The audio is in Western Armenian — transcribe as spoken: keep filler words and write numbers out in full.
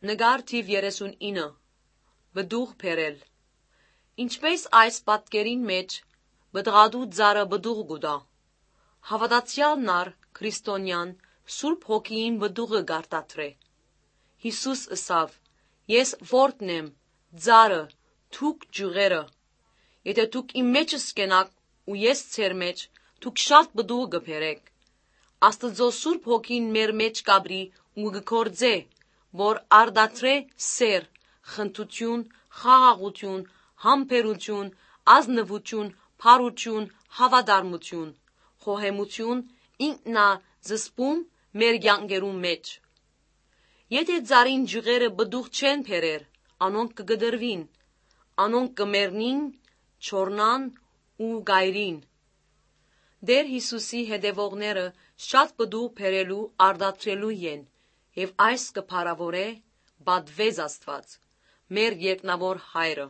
Նկար թիւ երեսունինը։ Պտուղ բերել։ Ինչպէս այս պատկերին մէջ պտղատու ծառը պտուղ կու տայ, հաւատացեալն ալ քրիստոնեան Սուրբ Հոգիին պտուղը կ'արտադրէ։ Յիսուս ըսաւ. «Ես որդն եմ, ծառը, դուք ճիւղերը։ Եթէ դուք իմ մէջս կենաք ու ես ձեր մէջ, դուք շատ պտուղ կը բերէք»։ Աստուծոյ Սուրբ Հոգին մեր մէջ կ'ապրի ու կը գործէ, որ արտադրէ սէր, խնդրութիւն, խաղաղութիւն, համբերութիւն, ազնուութիւն, բարութիւն, հաւատարմութիւն, խոհեմութիւն, ինքնազսպում մեր կեանքերուն մէջ։ Եթէ ծառին ճիւղերը պտուղ չեն բերեր, անոնք կը կտրուին, անոնք կը մեռնին, չոռնան ու կ'այրին։ Տէր Յիսուսի հետեւողները շատ պտուղ բերելու արտադրելու են, եւ այս կը փառաւորէ պատուեզ Աստուած, մեր երկնաւոր Հայրը։